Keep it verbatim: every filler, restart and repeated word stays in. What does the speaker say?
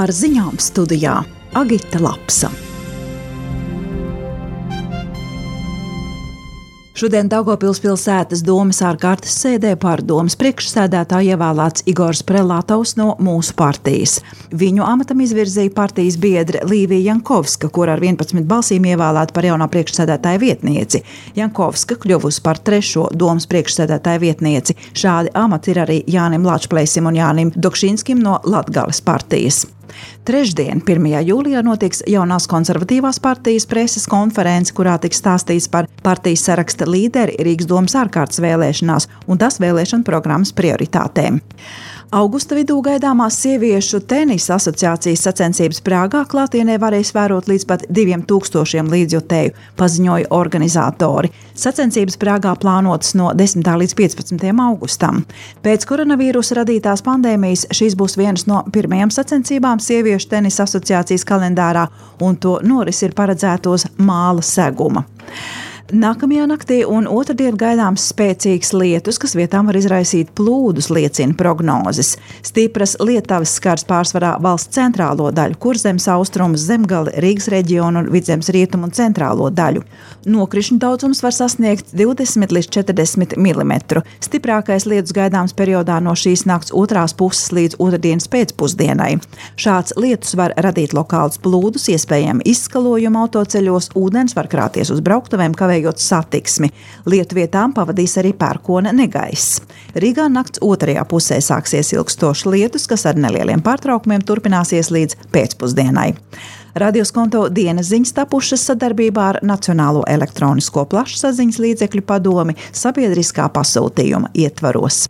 Ar ziņām studijā Agita Lapsa. Šodien Daugavpils pilsētas domes ārkārtas sēdē par domes priekšsēdētāju ievēlēts Igors Prelatovs no mūsu partijas. Viņu amatam izvirzīja partijas biedre Līvija Jankovska, kur ar vienpadsmit balsīm ievēlēta par jaunā priekšsēdētāja vietnieci. Jankovska kļuvusi par trešo domes priekšsēdētāja vietnieci. Šādi amati ir arī Jānim Lačplēsim un Jānim Dokšinskim no Latgales partijas. Trešdien, pirmajā jūlijā, notiks jaunās konservatīvās partijas preses konference, kurā tiks stāstīts par partijas saraksta līderi Rīgas domes ārkārtas vēlēšanās un tās vēlēšanu programmas prioritātēm. Augusta vidū gaidāmās sieviešu tenisa asociācijas sacensības Prāgā klātienē varēs vērot līdz pat diviem tūkstošiem līdzjutēju, paziņoja organizatori. Sacensības Prāgā plānotas no desmitā līdz piecpadsmitajam augustam. Pēc koronavīrusa radītās pandēmijas šīs būs vienas no pirmajām sacensībām sieviešu tenisa asociācijas kalendārā, un to noris ir paredzētos Māla seguma. Nākamajā naktī un otrdien gaidāms spēcīgs lietus, kas vietām var izraisīt plūdus, liecina prognozes. Stipras lietavas skars pārsvarā valsts centrālo daļu, Kurzemes austrumus, Zemgali, Rīgas reģionu un Vidzemes rietumu un centrālo daļu. Nokrišņu daudzums var sasniegt divdesmit līdz četrdesmit milimetru. Stiprākais lietus gaidāms periodā no šīs nakts otrās puses līdz otrdienas pēcpusdienai. Šāds lietus var radīt lokālus plūdus, iespējami izskalojumu autoceļos, ūdens var krāties uz brauktuvēm, kavējot satiksmi. Lietu vietām pavadīs arī pērkona negaiss. Rīgā nakts otrajā pusē sāksies ilgstošs lietus, kas ar nelieliem pārtraukumiem turpināsies līdz pēcpusdienai. Radioskonto dienas ziņas tapušas sadarbībā ar Nacionālo elektronisko plašsaziņas līdzekļu padomi sabiedriskā pasūtījuma ietvaros.